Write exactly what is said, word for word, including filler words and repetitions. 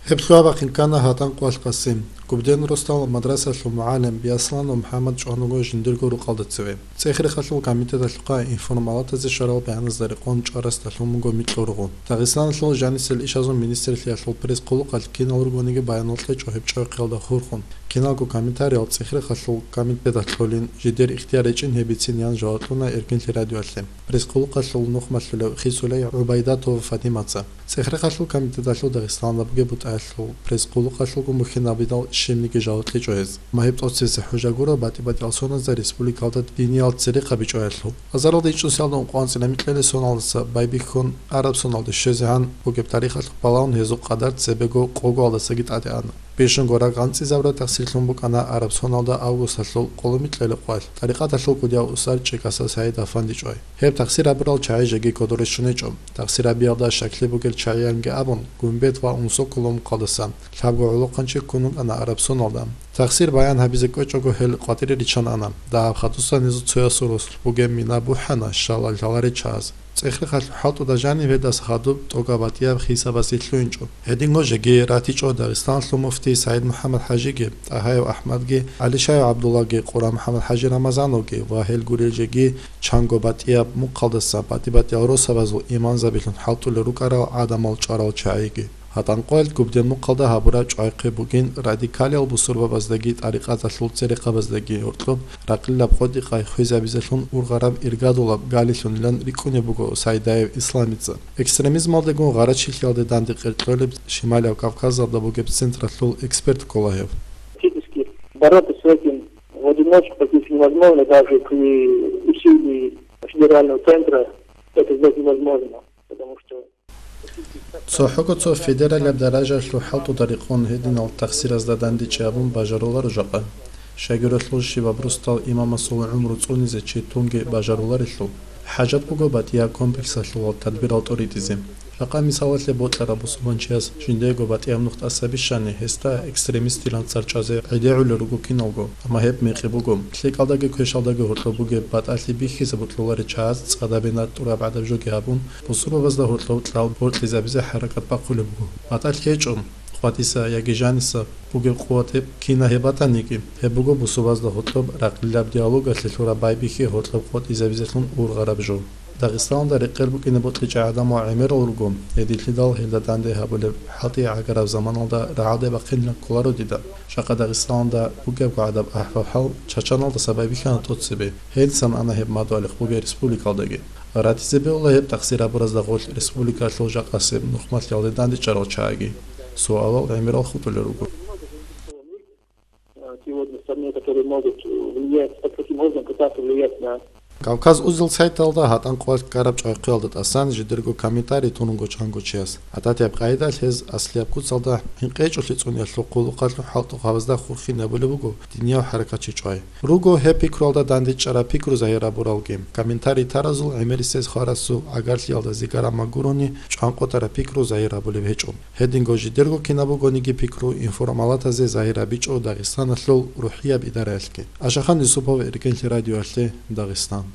Гьеб лъугьа-бахъин ккана ГьатӀан къвалъ Къасим. Губден росдал мадрасалъул мугӀалим Биасланов МухӀаммад чӀванаго жиндирго рукъалда цеве. ЦӀехирхалъул комитеталъухъа информалатазе щварал бегьаназда рекъон чӀварасдалъун буго микьургъу. Дагъистаналъул жанисел ишазул министрлъиялъул пресс-хъулухъалъ кинал ругониги баянал кьечӀо гьеб чӀвахъиялда хурхун. Киналго комментариял ЦӀехирхалъул комитеталъулин, жидер ихтияр гьечӀин гьебицин ян жаваб кьуна Эркинлъи радиоялъе пресс-хъулухъалъул нухмалъулев Хисулей ГӀубайдатова Фатимаца. ЦӀехирхалъул комитеталъул Дагъистаналда бугеб бутӀаялъул пресс-хъулухъалъулго мухьинабидал щибниги жаваб кьечӀо гьез. Магьиб тӀоцебесеб хӀужа гуро батӀи-батӀиял соназда республикалда диниял церехъаби чӀваялъул. Азаралда ичӀнусиялда ункъоялда анцӀила микьилел соналдаса байбихьун араб соналде щвезегӀан бугеб тарихалъухъ балагьун гьезул къадар цебего къогоялдасаги тӀаде ана. Бищунго рагъ анцӀизабураб тахсирлъун букӀана араб соналда августалъул къоло микьилел къвалъ, тӀарикъаталъул кӀудияв усар ЧӀикасал СагӀид-афанди чӀвай. Гьеб тахсир гьабурал чагӀи жеги кодорищун гьечӀо. Тахсир гьабиялда щаклъи бугел чагӀиянги абун, Гумбет ва Унсоколо мухъалдаса лъабго гӀолохъанчи ккун вукӀана араб соналда. Тахсир баян гьабизе кӀвечӀого гьел къватӀире риччан ана. Дагьаб хадусан гьезул цоясул росулъ бугеб мина бухӀана щалал лъаларел чагӀаз. ЦӀехирхалъул хӀалтӀуда жаниб гьедаса хадуб тӀокӀаб батӀияб хисабазе лъугьинчӀо. Гьединго жеги ратичӀо Дагъистаналъул муфтий СагӀид МухӀаммад ХӀажиги, ТӀагьаев АхӀмадги, ГӀалишаев ГӀабдуллагьги, Къура МухӀаммад ХӀажи Рамазановги ва гьел гурел жеги чанго батӀияб мухъалдаса батӀи-батӀиял росабазул имамзабилъун хӀалтӀулел рукӀарал гӀадамал чӀварал чагӀиги. ГьатӀан къвалъ Губден мухъалда гьабураб чӀвахъи бугин радикалиял бусурбабаздаги тӀарикъаталъул церехъабаздаги гьоркьоб ракъилаб къотӀи-къай хвезабизелъун ургъараб иргадулаб галилъунилан рикӀкӀунеб буго Сайдаев Исламица. Экстремизмалдегун гъарачилъиялде данде къеркьолеб Шималияб Кавказалда бугеб централъул эксперт ккола гьев. Фактически бороться с этим в одиночку практически невозможно, даже при усилии федерального центра это сделать невозможно, потому что ЦохӀого цо федералияб даражаялъул хӀалтӀуда рекъон гьединал тахсиразда дандечӀей абун бажаруларо жакъа. Щайгурелъул щибаб росдал имамасул гӀумру цӀунизе чи тунги бажаруларелъул, хӀажат буго батӀияб комплексалъулал тадбирал тӀоритӀизе. Жакъа мисалалъе бокьараб бусурманчияс жиндего батӀияб нух тӀаса бищани, гьесда экстремистилан цӀар чӀвазе гӀедегӀулел руго киналго, амма гьеб мекъи буго. ЛъикӀалдаги квешалдаги гьоркьоб бугеб батӀалъи бихьизе бокьуларел чагӀаз цӀадабе натӀураб гӀадаб жоги гьабун, бусурбабазда гьоркьов кьал бокьизабизе хӀаракат бахъулеб буго. БатӀалъи гьечӀо, хъватиса яги жаниса бугеб къуват гьеб кина гьеб батаниги, гьеб буго бусурбабазда гьоркьоб ракъилаб диалогалъе лъураб байбихьи гьоркьоб къотӀизабизелъун ургъараб жо. Дагъистаналда рекъел букӀине бокьичӀеб гӀадамал гӀемерал руго, гьединлъидал гьелда данде гьабулеб хӀалтӀи гӀагараб заманалда рагӀалде бахъинилан кколаро дида. Жакъа Дагъистаналда бугебго гӀадаб ахӀвал-хӀал Чачаналдаса байбихьана тӀоцебе, гьединлъан ана гьеб мадугьалихъ бугеб республикалдаги. Ратизе бегьула гьеб тахсир гьабуразда гъорлъ республикалъул жакъасеб нухмалъиялде дандечӀарал чагӀиги. Суалал гӀемерал хутӀулел руго. Те органы страны, которые могут влиять, под каким образом пытаться влиять на Кавказ узел сайталда гьатӀан къвалъ ккараб чӀвахъиялда тӀасан жидерго комментарий тунунго чанго чияс. ГӀадатияб къайдалъ гьез аслияб куцалда гьинкъечӀолъи цӀуниялъул хъулухъалъул хӀалтӀухъабазда хурхинабулеб буго динияв хӀаракатчи чӀвай. Руго гьеб пикруялда дандечӀараб пикру загьир гьабуралги. Комментарий таразул гӀемерисез хварасул гӀагарлъиялда зигараб магурони чӀванкъотараб пикру загьир гьабулеб гьечӀо. Гьединго жидерго кинаб бугониги пикру информалатазе загьир гьабичӀо Дагъистаналъул рухӀияб идараялъги. Ашахан Юсупов, Эркенлъи радиоялъе, Дагъистан.